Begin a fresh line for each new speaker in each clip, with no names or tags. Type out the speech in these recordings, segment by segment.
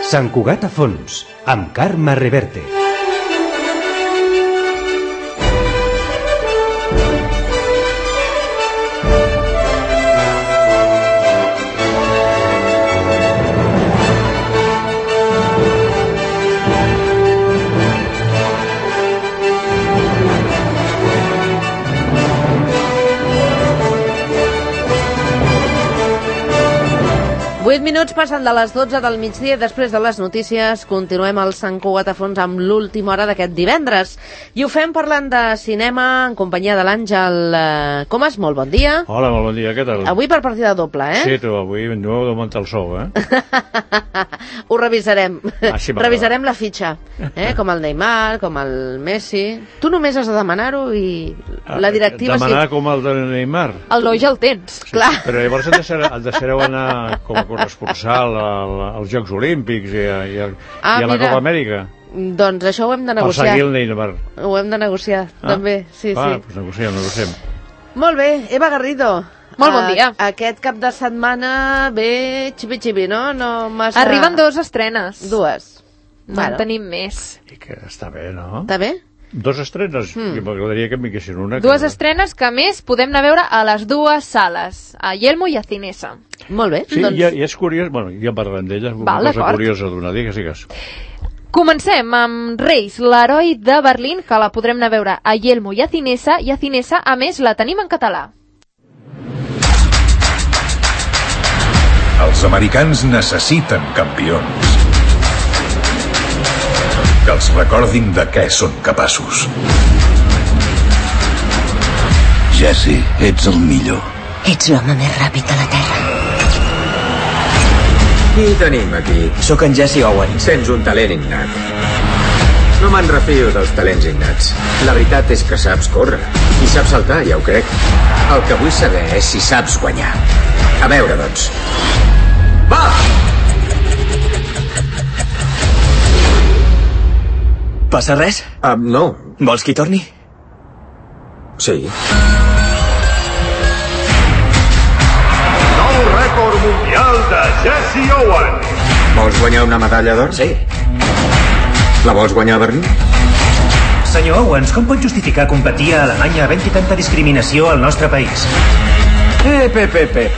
Sant Cugat a fons, amb Carme Reverte.
Minuts passen de les 12 del migdia i després de les notícies continuem al Sant Cugat a fons amb l'última hora d'aquest divendres. I ho fem parlant de cinema en companyia de l'Àngel Comas. Molt bon dia.
Hola, molt bon dia, què tal?
Avui per partida doble, eh?
Sí, tu, avui no heu d'augmentar el sou, eh?
Ho revisarem.
Sí,
revisarem la fitxa, com el Neymar, com el Messi. Tu només has de demanar-ho i la directiva...
Demanar com el de Neymar?
El noi ja el tens.
Sí, clar. Però llavors et deixareu anar com a corresponsal als Jocs Olímpics i a la Copa Amèrica.
Doncs això ho hem de negociar.
Per seguir el Neymar.
Ho hem de negociar, també. Sí, sí.
Doncs negociem.
Molt bé, Eva Garrido.
Molt bon dia.
Aquest cap de setmana ve xipi-xipi, no?
Arriben 2 estrenes.
2.
No en tenim més.
I que està bé, no?
Està bé?
2 estrenes? M'agradaria que m'hi quessin una.
2 estrenes que, a més, podem anar a veure a les 2 sales, a Yelmo i a Cinesa.
Molt bé.
Sí, doncs... i és curiós, bueno, ja parlem d'ella, una cosa curiosa d'una, digues.
Comencem amb Reis, l'heroi de Berlín, que la podrem anar a veure a Yelmo i a Cinesa, a més, la tenim en català.
Els americans necessiten campions. Que els recordin de què són capaços.
Jesse, ets el millor.
Ets l'home més ràpid de la Terra.
Qui tenim aquí?
Sóc en Jesse Owens.
Tens un talent innat. No me'n refio dels talents innats. La veritat és que saps córrer. I saps saltar, ja ho crec. El que vull saber és si saps guanyar. A veure, doncs. Va!
Passa res?
No.
Vols que hi torni?
Sí.
Nou rècord mundial de Jesse Owens.
Vols guanyar una medalla d'or?
Sí.
La vols guanyar a Berlín?
Senyor Owens, com pot justificar competir a Alemanya havent-hi tanta discriminació al nostre país?
Pepe.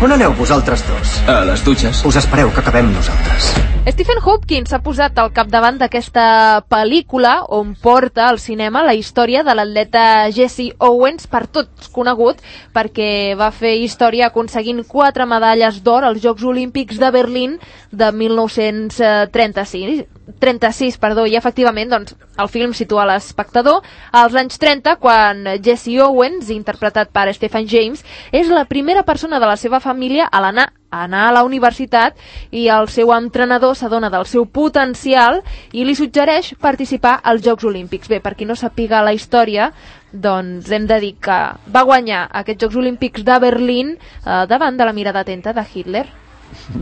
On aneu vosaltres dos? A les dutxes.
Us espereu que acabem nosaltres.
Stephen Hopkins s'ha posat al capdavant d'aquesta pel·lícula on porta al cinema la història de l'atleta Jesse Owens, per tots conegut perquè va fer història aconseguint 4 medalles d'or als Jocs Olímpics de Berlín de 1936, i efectivament doncs, el film situa l'espectador als anys 30, quan Jesse Owens, interpretat per Stephen James, és la primera persona de la seva família a anar a la universitat, i el seu entrenador s'adona del seu potencial i li suggereix participar als Jocs Olímpics. Bé, per qui no sàpiga la història, doncs hem de dir que va guanyar aquests Jocs Olímpics de Berlín davant de la mirada atenta de Hitler.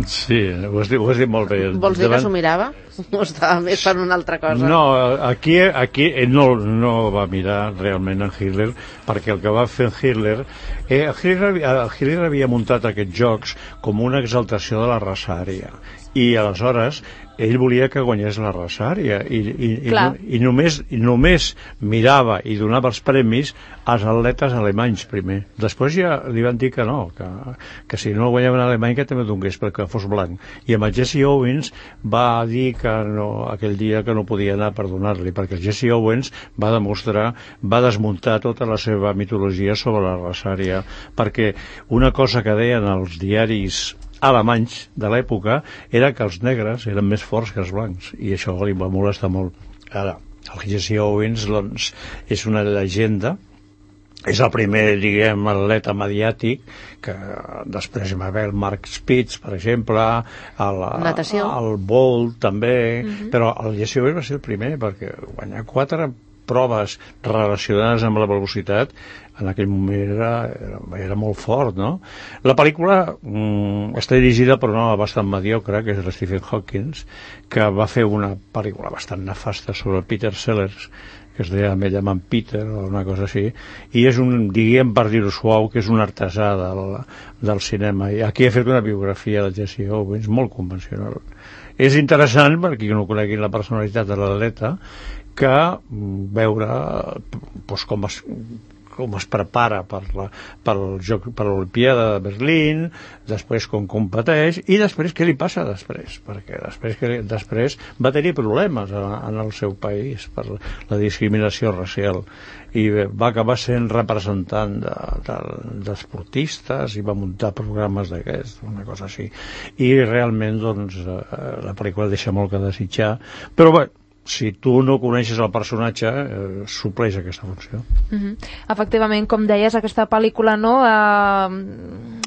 Sí, ho has dit molt bé.
Vols dir que s'ho mirava? O estava més per una altra cosa?
No, aquí no va mirar realment en Hitler, perquè el que va fer Hitler havia muntat aquests jocs com una exaltació de la raça ària, i aleshores ell volia que guanyés la raça ària i només mirava i donava els premis als atletes alemanys primer. Després ja li van dir que no, que si no guanyava un alemany que també donés perquè fos blanc. I amb el Jesse Owens va dir que no, aquell dia que no podia anar per donar-li, perquè el Jesse Owens va desmuntar tota la seva mitologia sobre la raça ària, perquè una cosa que deien els diaris alemanys de l'època era que els negres eren més forts que els blancs, i això li va molestar molt. Ara, el Jesse Owens doncs, és una llegenda, és el primer, diguem, atleta mediàtic, que després hi va haver el Mark Spitz, per exemple, el Bolt també, però el Jesse Owens va ser el primer, perquè guanyar 4 proves relacionades amb la velocitat en aquell moment era molt fort, no? La pel·lícula està dirigida per un home bastant mediocre, que és el Stephen Hawking, que va fer una pel·lícula bastant nefasta sobre el Peter Sellers, que es deia Me llaman Peter o una cosa així, i és un, diguem per dir-ho suau, que és un artesà del cinema, i aquí he fet una biografia del Jesse Owens molt convencional, és interessant, per qui no conegui la personalitat de l'atleta, que veure doncs, com es prepara per l'Olimpiada de Berlín, després com competeix i després què li passa després, perquè després va tenir problemes en el seu país per la discriminació racial i va acabar sent representant d'esportistes i va muntar programes d'aquests, una cosa així, i realment doncs la pel·lícula deixa molt que desitjar, però bé, si tu no coneixes el personatge, supleix aquesta funció.
Efectivament, com deies, aquesta pel·lícula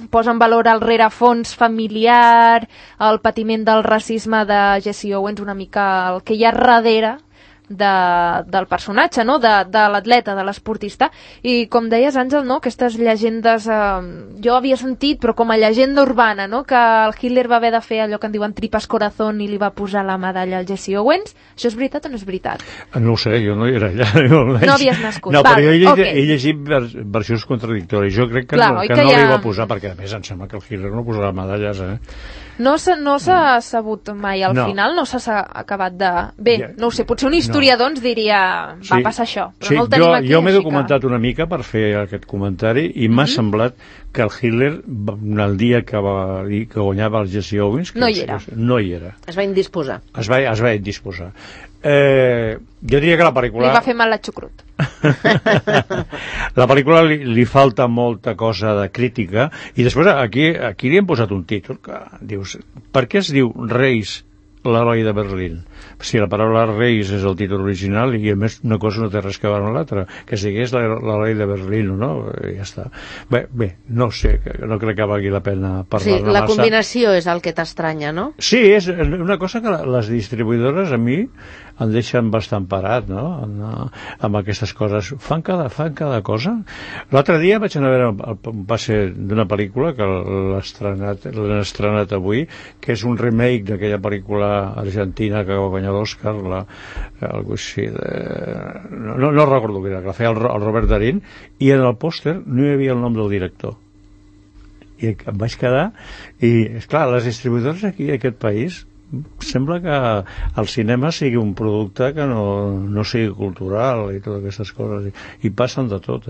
posa en valor el rerefons familiar, el patiment del racisme de Jesse Owens, una mica el que hi ha darrere del personatge, no? de l'atleta, de l'esportista, i com deies, Àngel, no? Aquestes llegendes jo havia sentit, però com a llegenda urbana, no? Que el Hitler va haver de fer allò que en diuen tripas corazón i li va posar la medalla al Jesse Owens. Això és veritat o no és veritat?
No ho sé, jo no era allà.
No havies nascut.
No, però jo he llegit versions contradictòries. Jo crec que no li va posar, perquè a més em sembla que el Hitler no posarà medalles,
No s'ha sabut mai, al final no s'ha acabat de... Bé, no ho sé, potser un historiador ens diria va passar això, però no el tenim aquí.
Jo m'he documentat una mica per fer aquest comentari i m'ha semblat que el Hitler, el dia que guanyava el Jesse Owens...
No hi era. Es va indisposar.
Es va indisposar. Jo diria que la pel·lícula...
Li va fer mal la xucrut.
La pel·lícula li falta molta cosa de crítica i després aquí li hem posat un títol que dius, per què es diu Reis, l'heroi de Berlín? Si la paraula Reis és el títol original i a més una cosa no té res que veure amb l'altra, que sigués l'heroi de Berlín o no, ja està. Bé, no sé, no crec que valgui la pena parlar-ne massa.
La combinació és el que t'estranya, no?
Sí, és una cosa que les distribuïdores a mi em deixen bastant parat, no?, amb aquestes coses. Fan cada cosa. L'altre dia vaig anar a veure un passe d'una pel·lícula que l'han estrenat avui, que és un remake d'aquella pel·lícula argentina que va guanyar l'Oscar, algo així no recordo què era, que la feia el Robert Darín, i en el pòster no hi havia el nom del director. I em vaig quedar, i esclar, les distribuïdores aquí a aquest país sembla que el cinema sigui un producte que no sigui cultural i totes aquestes coses, i passen de tot,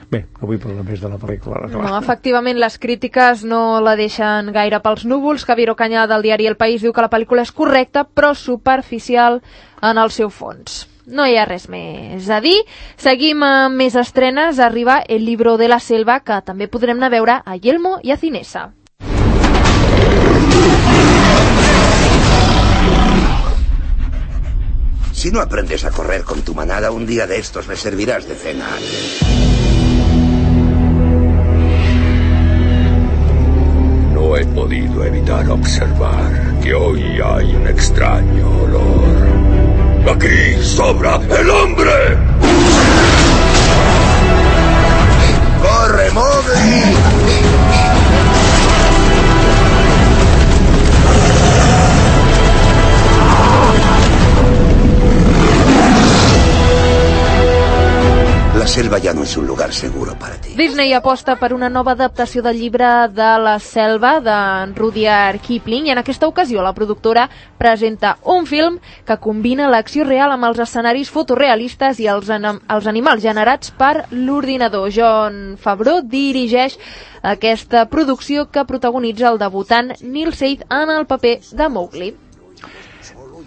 Bé, no vull parlar més de la pel·lícula.
No, efectivament, les crítiques no la deixen gaire pels núvols. Javier Ocaña, del diari El País, diu que la pel·lícula és correcta, però superficial en el seu fons. No hi ha res més a dir. Seguim amb més estrenes. Arriba El libro de la selva, que també podrem anar a veure a Yelmo i a Cinesa.
Si no aprendes a correr con tu manada, un día de estos me servirás de cena.
No he podido evitar observar que hoy hay un extraño olor. ¡Aquí sobra el hombre!
¡Corre, Mowgli! La selva ja no és un lugar seguro para ti.
Disney aposta per una nova adaptació del llibre de la selva d'en Rudyard Kipling, i en aquesta ocasió la productora presenta un film que combina l'acció real amb els escenaris fotorealistes i els animals generats per l'ordinador. Jon Favreau dirigeix aquesta producció, que protagonitza el debutant Neil Seid en el paper de Mowgli.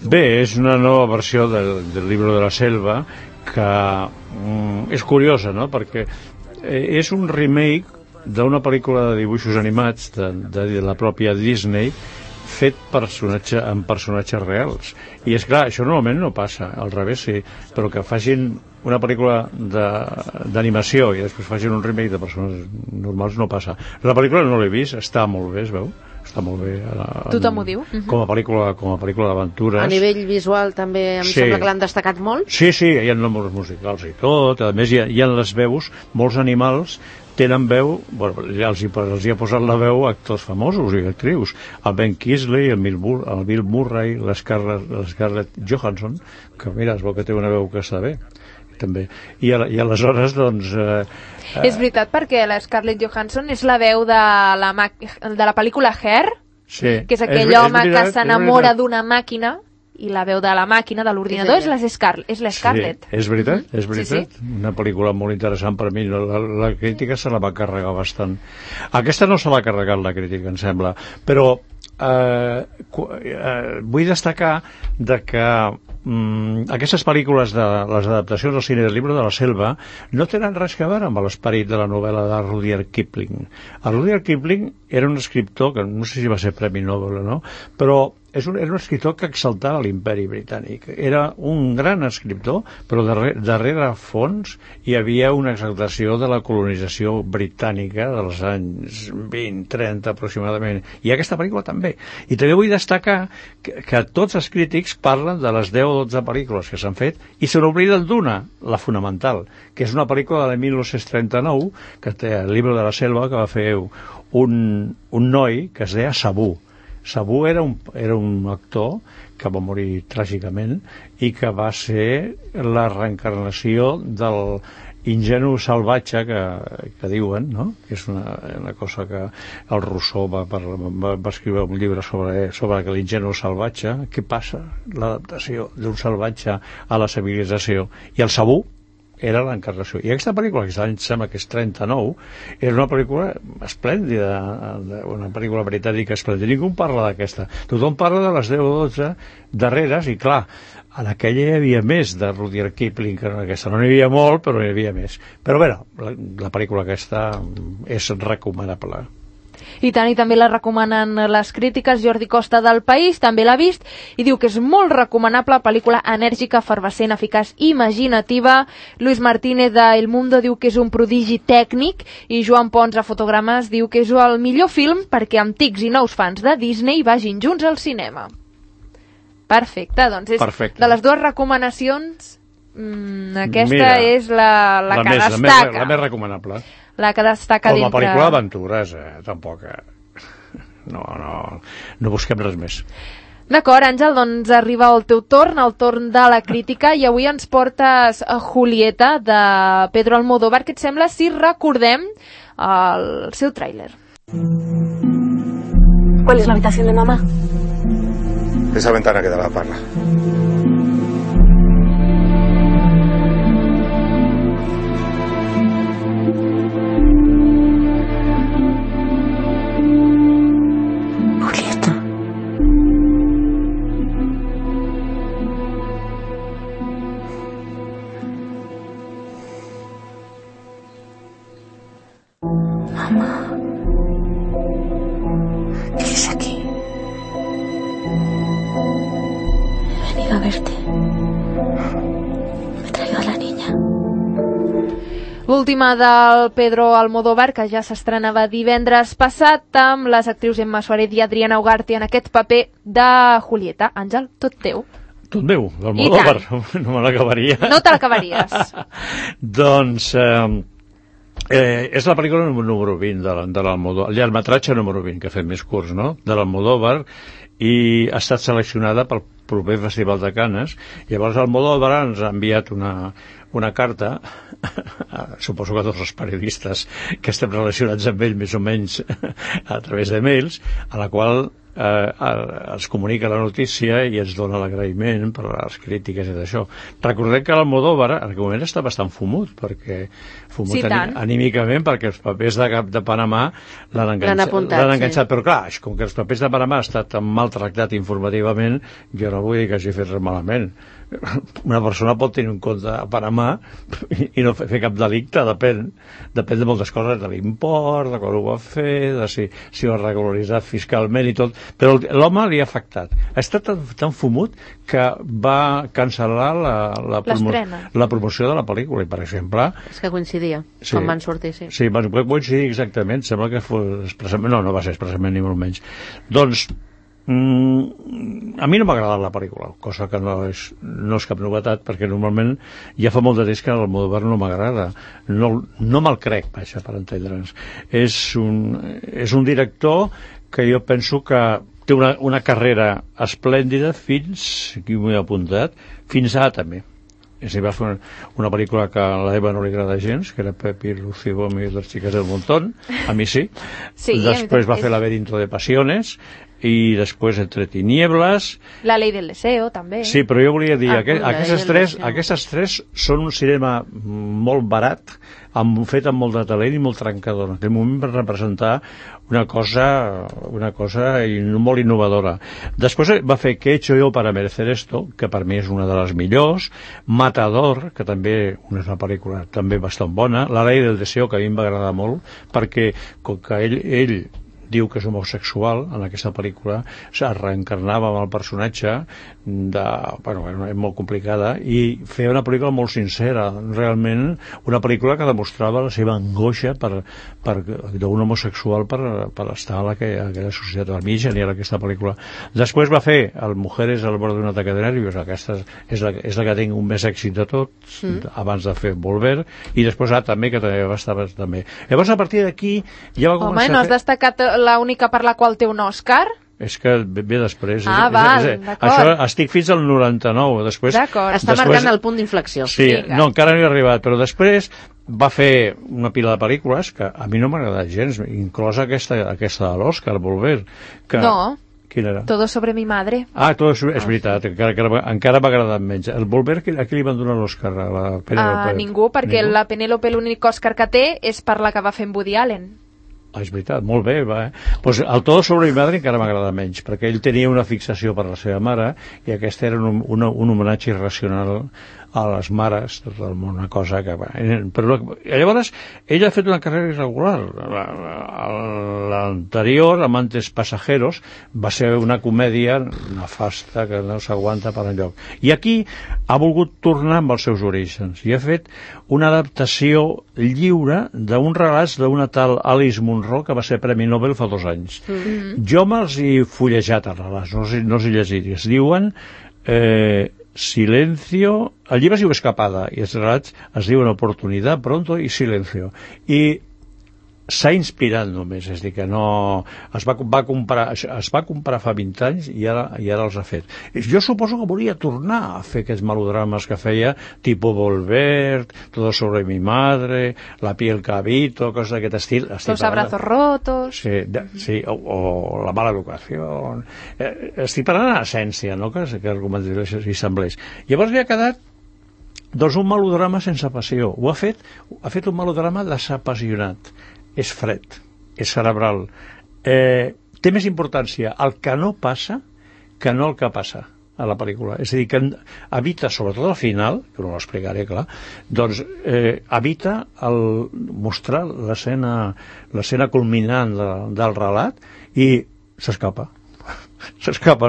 Bé, és una nova versió del llibre de la selva que és curiosa, no?, perquè és un remake d'una pel·lícula de dibuixos animats de la pròpia Disney, fet amb personatges reals. I és clar, això normalment no passa, al revés sí, però que facin una pel·lícula d'animació i després facin un remake de persones normals no passa. La pel·lícula no l'he vist, està molt bé, es veu? Està molt bé.
Tothom ho diu.
Com a pel·lícula d'aventures.
A nivell visual també sembla que l'han destacat molt.
Sí, hi ha números musicals i tot. A més, hi ha les veus, molts animals tenen veu, els hi ha posat la veu actors famosos i actrius. El Ben Kingsley, el Bill Murray, l'Scarlett Johansson, que mira, es veu que té una veu que està bé, també. I aleshores, doncs...
És veritat, perquè la Scarlett Johansson és la veu de la pel·lícula Hair, que és aquell home que s'enamora d'una màquina i la veu de la màquina, de l'ordinador, és l'Scarlett.
Sí, és veritat. Sí. Una pel·lícula molt interessant per mi. La crítica se la va carregar bastant. Aquesta no se l'ha carregat, la crítica, em sembla. Però vull destacar que aquestes pel·lícules de les adaptacions al cine del Llibre de la Selva no tenen res a veure amb l'esperit de la novel·la de Rudyard Kipling. El Rudyard Kipling era un escriptor que no sé si va ser Premi Nobel o no, però era un escriptor que exaltava l'imperi britànic. Era un gran escriptor, però darrere fons hi havia una exaltació de la colonització britànica dels anys 20-30 aproximadament. I aquesta pel·lícula també. I també vull destacar que tots els crítics parlen de les 10 o 12 pel·lícules que s'han fet i se n'obliden d'una, la fonamental, que és una pel·lícula de 1939 que té el Llibre de la Selva, que va fer un noi que es deia Sabú. Sabú era un actor que va morir tràgicament i que va ser la reencarnació del ingenu salvatge que diuen, no? Que és una cosa que el Rousseau va escriure un llibre sobre l'ingenu salvatge. Què passa? L'adaptació d'un salvatge a la civilització. I el Sabú era l'encarnació. I aquesta pel·lícula, que em sembla que és 39, és una pel·lícula esplèndida, una pel·lícula britànica esplèndida. Ningú parla d'aquesta. Tothom parla de les 10 o 12 darreres, i clar, en aquella hi havia més de Rudyard Kipling que en aquesta. No n'hi havia molt, però n'hi havia més. Però bé, la pel·lícula aquesta és recomanable.
I tant, i també la recomanen les crítiques. Jordi Costa del País també l'ha vist i diu que és molt recomanable, pel·lícula enèrgica, efervescent, eficaç, imaginativa. Luis Martínez de El Mundo diu que és un prodigi tècnic i Joan Pons a Fotogrames diu que és el millor film perquè antics i nous fans de Disney vagin junts al cinema. Perfecte, doncs és
perfecte.
De les dues recomanacions aquesta és la que destaca.
La més recomanable.
La que destaca
dintre... Com a pel·lícula d'aventures, tampoc. No busquem res més.
D'acord, Àngel, doncs arriba el teu torn, el torn de la crítica, i avui ens portes a Julieta, de Pedro Almodóvar. Què et sembla si recordem el seu tràiler?
¿Cuál es la habitación de mamá?
Esa ventana que da la parla.
L'última del Pedro Almodóvar, que ja s'estrenava divendres passat, amb les actrius Emma Suárez i Adriana Ugarte en aquest paper de Julieta. Àngel, tot teu.
Tot meu, d'Almodóvar. No me l'acabaria.
No te l'acabaries.
Doncs és la pel·lícula número 20 de l'Almodóvar, el llargmetratge número 20, que ha fet més curts, no?, de l'Almodóvar, i ha estat seleccionada pel proper Festival de Canes. Llavors Almodóvar ens ha enviat una carta, suposo que tots els periodistes que estem relacionats amb ell més o menys a través de mails, a la qual es comunica la notícia i ens dona l'agraïment per les crítiques i d'això. Recordem que l'Almodóvar en aquell moment està bastant fumut, anímicament, perquè els papers de Panamà l'han enganxat, sí. Però clar, com que els papers de Panamà han estat tan maltractat informativament, jo no vull dir que hagi fet res malament. Una persona pot tenir un compte a Panamà i no fer cap delicte, depèn de moltes coses, de l'import, de quan ho va fer, de si ho ha regularitzat fiscalment i tot, però l'home li ha afectat. Ha estat tan fumut que va cancel·lar la promoció de la pel·lícula, i per exemple...
És que coincidia, quan van sortir, sí.
Sí, van coincidir exactament, sembla que fos expressament... No va ser expressament ni molt menys. Doncs a mi no m'ha agradat la pel·lícula, cosa que no és cap novetat, perquè normalment ja fa molt de temps que l'Almodóvar no m'agrada, no me'l crec, vaja, per entendre'ns. És un director que jo penso que té una carrera esplèndida aquí m'ho he apuntat, fins ara també. És a dir, va fer una pel·lícula que a l'Eva no li agrada gens, que era Pepi, Lucy Gómez i les xiques del Montón, a mi sí. Després va fer Laberinto de Pasiones, i després Entre tinieblas...
La Ley del Deseo, també.
Sí, però jo volia dir, aquestes tres són un cinema molt barat, fet amb molt de talent i molt trencador. En aquell moment va representar una cosa molt innovadora. Després va fer ¿Qué he hecho yo para merecer esto?, que per mi és una de les millors, Matador, que també és una pel·lícula també bastant bona, La Ley del Deseo, que a mi em va agradar molt, perquè com que ell diu que és homosexual, en aquesta pel·lícula es reencarnava amb el personatge és molt complicada, i feia una pel·lícula molt sincera, realment una pel·lícula que demostrava la seva angoixa d'un homosexual per estar a aquella societat. A mi genial aquesta pel·lícula. Després va fer el Mujeres al borde d'un ataque de nervios, aquesta és la que tinc un més èxit de tots, abans de fer Volver, i després també, que també va estar també. Llavors, a partir d'aquí ja va començar
no has destacat l'única per la qual té un Òscar?
És que ve després.
D'acord.
Això estic fins al 99.
D'acord. Està marcant el punt d'inflexió.
Sí, no, encara no hi he arribat, però després va fer una pila de pel·lícules que a mi no m'ha agradat gens, inclosa aquesta de l'Òscar, Volver.
No.
Quina era?
Todo sobre mi madre.
Todo és veritat, encara m'ha agradat menys. El Volver, a qui li van donar l'Òscar?
A ningú, perquè la Penélope l'únic Òscar que té és per la que va fer amb Woody Allen.
És veritat, molt bé, pues el Todo sobre mi madre encara m'agrada menys, perquè ell tenia una fixació per la seva mare, i aquest era un homenatge irracional a les mares, una cosa que... Però llavors, ell ha fet una carrera irregular. L'anterior, Amantes Pasajeros, va ser una comèdia nefasta que no s'aguanta per enlloc. I aquí ha volgut tornar amb els seus orígens, i ha fet una adaptació lliure d'un relats d'una tal Alice Munro, que va ser Premi Nobel fa 2 anys. Jo me'ls he fullejat els relats, no els he llegit, i es diuen Silencio, el llibre es diu Escapada, i els relats es diuen Oportunidad, Pronto i Silencio. I s'ha inspirat només, és a dir, que no... Es va comprar fa 20 anys i ara els ha fet. Jo suposo que volia tornar a fer aquests melodrames que feia, tipo Volver, Todo sobre mi madre, La piel que habito, coses d'aquest estil.
Los abrazos rotos...
Sí, o La mala educació... Estic parlant en essència, no?, que argumentació hi semblés. Llavors li ha quedat un melodrama sense passió. Ha fet un melodrama desapassionat. És fred, és cerebral. Té més importància el que no passa que no el que passa a la pel·lícula. És a dir, que evita, sobretot al final, que no l'explicaré, clar, doncs evita mostrar l'escena culminant del relat i s'escapa,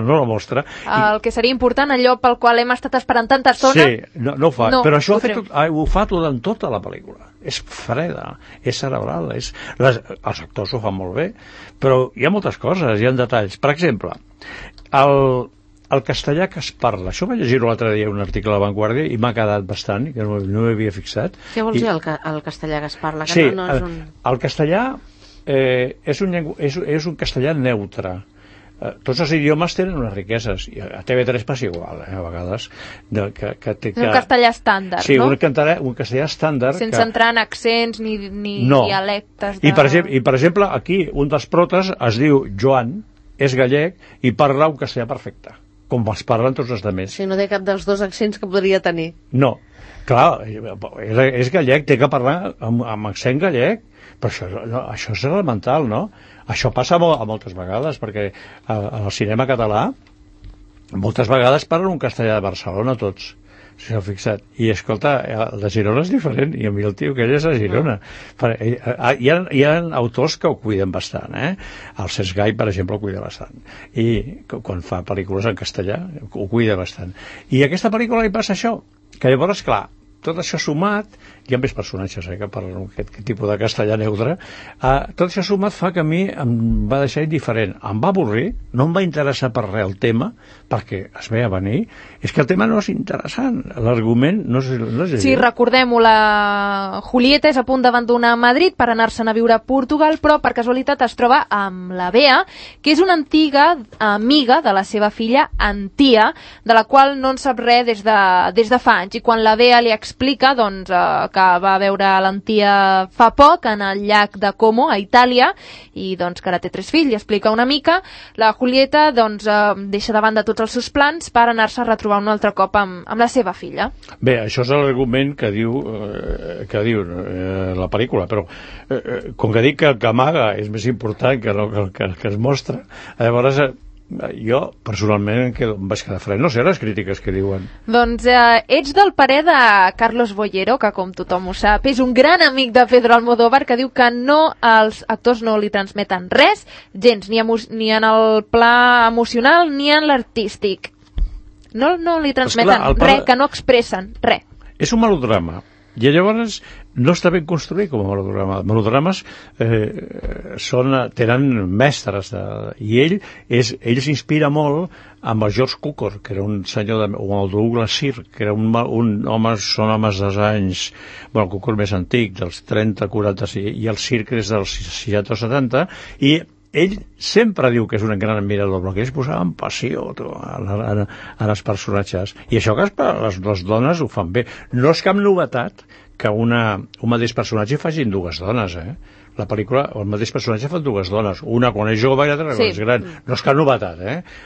no la mostra.
El que seria important, allò pel qual hem estat esperant tanta estona...
Sí, no ho fa, però això ho fa en tota la pel·lícula. És freda, és cerebral, els actors ho fan molt bé, però hi ha moltes coses, hi ha detalls. Per exemple, el castellà que es parla, això vaig llegir l'altre dia un article a La Vanguardia i m'ha quedat bastant, que no m'hi havia fixat.
Què vols dir el castellà que es parla?
Sí, el castellà és un castellà neutre. Tots els idiomes tenen unes riqueses, i a TV3 passa igual, a vegades.
Un castellà estàndard,
no? Sí, un castellà estàndard.
Sense entrar en accents ni dialectes.
I per exemple, aquí un dels protes es diu Joan, és gallec i parla un castellà perfecte, com els parlen tots els altres.
Si no té cap dels 2 accents que podria tenir.
No, clar, és gallec, té que parlar amb accent gallec, però això és elemental, no? Això passa moltes vegades, perquè al cinema català moltes vegades parlen un castellà de Barcelona tots, si s'ha fixat. I escolta, el de Girona és diferent, i a mi el tio que ell és a Girona. Hi ha autors que ho cuiden bastant, El Cesc Gai, per exemple, ho cuida bastant. I quan fa pel·lícules en castellà, ho cuida bastant. I a aquesta pel·lícula li passa això, que llavors, clar, tot això sumat, hi ha més personatges que parlen aquest tipus de castellà neutre, tot això sumat fa que a mi em va deixar indiferent. Em va avorrir, no em va interessar per res el tema, perquè es veia venir. És que el tema no és interessant, l'argument no és
Sí, recordem-ho, la Julieta és a punt d'abandonar Madrid per anar-se'n a viure a Portugal, però per casualitat es troba amb la Bea, que és una antiga amiga de la seva filla Antia, de la qual no en sap res des de fa anys, i quan la Bea li explica que que va veure l'Antia fa poc en el llac de Como, a Itàlia, i doncs que ara té 3 fills, i explica una mica. La Julieta doncs deixa de banda tots els seus plans per anar-se a retrobar un altre cop amb la seva filla.
Bé, això és l'argument que diu la pel·lícula, però com que dic que el que amaga és més important que el que es mostra, llavors jo personalment em vaig quedar fred. No sé les crítiques que diuen.
Doncs ets del parer de Carlos Bollero, que com tothom ho sap és un gran amic de Pedro Almodóvar, que diu que els actors no li transmeten res, gens, ni en el pla emocional ni en l'artístic. No li transmeten res, que no expressen res.
És un melodrama. I llavors no està ben construït com a melodrama. Melodrames tenen mestres i ell s'inspira molt amb el George Cukor, que era un senyor o el Douglas Sirk, que era un home, són homes dels anys, bueno, el Cukor més antic, dels 30, 40, i el Sirk és dels 60 o 70, i ell sempre diu que és un gran admirador, però que ells posaven passió en els personatges, i això que les dones ho fan bé. No és cap novetat que un mateix personatge facin 2 dones, la pel·lícula, el mateix personatge fa 2 dones, una quan és jove i l'altra quan és gran. No és cap novetat,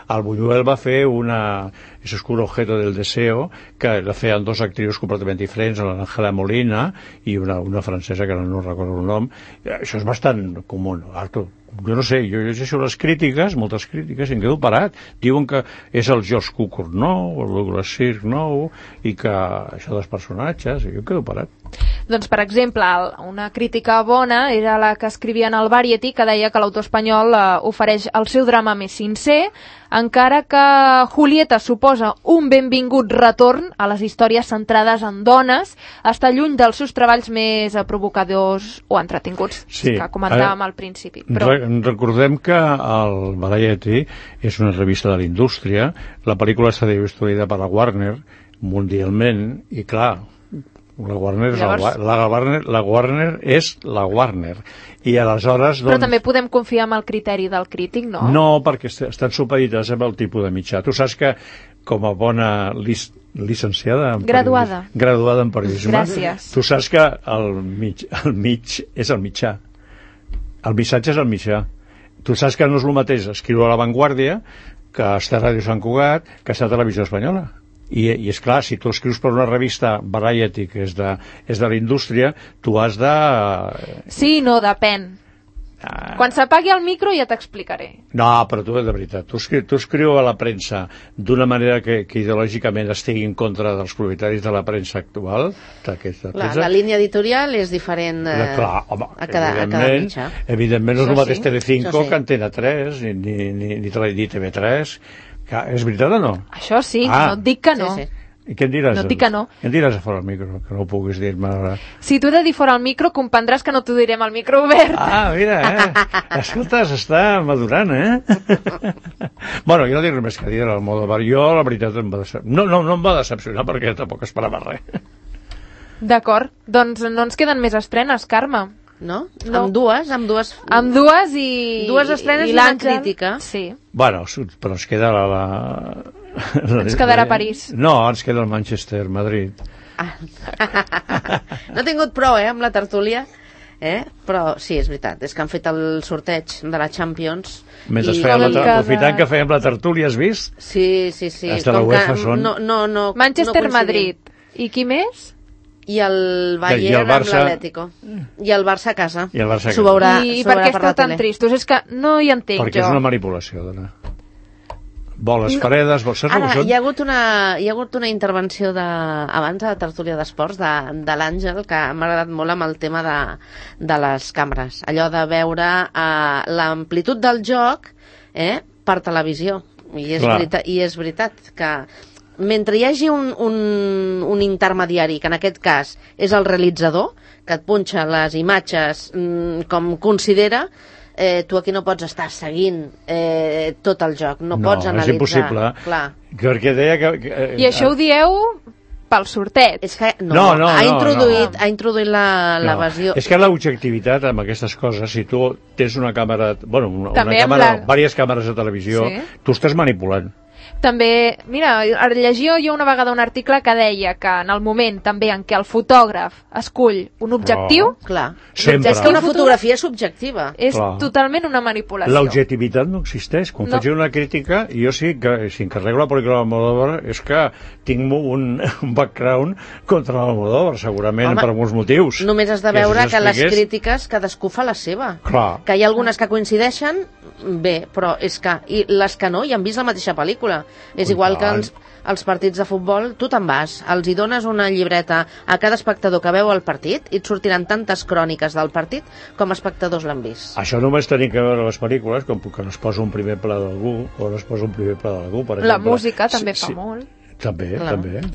El Buñuel va fer ese oscuro objeto del deseo, que la feien 2 actrius completament diferents, l'Àngela Molina i una francesa que no recordo el nom. Això és bastant comú, Artur. Jo no sé, jo llegeixo les crítiques, moltes crítiques, i em quedo parat. Diuen que és el George Cukor nou, el Douglas Sirk nou, i que això dels personatges, i jo em quedo parat.
Doncs, per exemple, una crítica bona era la que escrivia en el Variety, que deia que l'autor espanyol ofereix el seu drama més sincer, encara que Julieta suposa un benvingut retorn a les històries centrades en dones, està lluny dels seus treballs més provocadors o entretinguts, que comentàvem al principi.
Recordem que el Variety és una revista de la indústria, la pel·lícula està distribuïda per la Warner mundialment, i clar, la Warner és la Warner, i aleshores
però també podem confiar en el criteri del crític, no?
No, perquè estan supeditats amb el tipus de mitjà. Tu saps que com a bona licenciada
graduada
en periodisme,
gràcies,
tu saps que el mig és el mitjà, el missatge és el mitjà. Tu saps que no és el mateix escriure a La Vanguardia que estar a Ràdio Sant Cugat, que estar a Televisió Espanyola. I és clar, si tu escrius per una revista Variety, que és de la indústria, tu has de...
Sí, no, depèn. Quan s'apagui el micro ja t'explicaré.
No, però tu, de veritat, tu escriu a la premsa d'una manera que ideològicament estigui en contra dels propietaris de la premsa actual.
La línia editorial és diferent a cada mitjà.
Evidentment no és el mateix Telecinco que Antena 3, ni TV3. És veritat o no?
Això sí, no et dic que no.
I què em diràs?
No et dic que no.
Què em diràs a fora el micro, que no ho puguis dir-me ara?
Si t'ho he de dir fora el micro, comprendràs que no t'ho direm al micro obert.
Mira, escolta, s'està madurant, Bueno, jo no dic res més que dir al Almodóvar. Jo, la veritat, no em va decepcionar perquè tampoc esperava res.
D'acord, doncs no ens queden més estrenes, Carme.
No? Amb dues
i...
Dues estrenes i una crítica.
Sí.
Bueno, però ens queda
ens quedarà París.
No, ens queda el Manchester, Madrid.
No he tingut prou, amb la tertúlia. Però sí, és veritat, és que han fet el sorteig de la Champions.
Mentre aprofitant que fèiem la tertúlia, has vist?
Sí.
Hasta la UEFA són...
Manchester, Madrid. I qui més?
I el Bayern amb l'Atlético. I el Barça a casa.
I
per què
esteu tan tristos? És que no hi entenc
perquè jo. Perquè és una manipulació, dona. Boles fredes,
Ara, hi ha hagut una intervenció abans de la tertúlia d'esports de l'Àngel, que m'ha agradat molt amb el tema de les càmeres. Allò de veure l'amplitud del joc per televisió. I és veritat que mentre hi hagi un intermediari, que en aquest cas és el realitzador, que et punxa les imatges com considera, tu aquí no pots estar seguint tot el joc, no pots analitzar.
No, és impossible. Perquè deia que...
I això ho dieu pel sorteig.
És que ha introduït l'evasió.
És que l'objectivitat amb aquestes coses, si tu tens una càmera, diverses càmeres de televisió, tu estàs manipulant.
També, mira, llegia jo una vegada un article que deia que en el moment també en què el fotògraf escull un objectiu...
Clar.
Sempre.
És que una fotografia és subjectiva.
És totalment una manipulació.
L'objectivitat no existeix. Quan faig una crítica, jo sí que, si encarrego la pel·lícula d'Almodóvar, és que tinc un background contra l'Almodóvar, segurament, per molts motius.
Només has de veure que les crítiques cadascú fa la seva.
Clar.
Que hi ha algunes que coincideixen, bé, però és que... I les que no, i han vist la mateixa pel·lícula. És igual que els partits de futbol, tu te'n vas, els hi dones una llibreta a cada espectador que veu el partit i et sortiran tantes cròniques del partit com espectadors l'han vist.
Això només tenim que veure les pel·lícules, com que no es posa un primer pla d'algú o no es posa un primer pla d'algú, per exemple.
La música també fa molt.
També.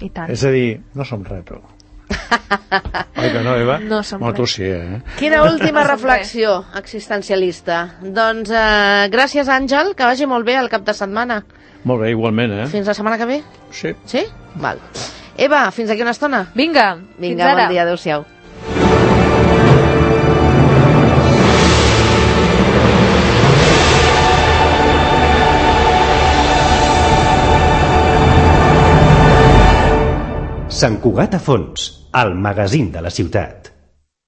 I tant.
És a dir, no som retro. Oi que no, Eva?
No som
tu sí, eh?
Quina última reflexió existencialista. Doncs gràcies, Àngel, que vagi molt bé el cap de setmana.
Molt bé, igualment, eh?
Fins la setmana que ve?
Sí.
Sí? Val. Eva, fins aquí una estona?
Vinga,
fins ara. Bon dia, adéu-siau.
Sant Cugat a Fons, el magazín de la ciutat.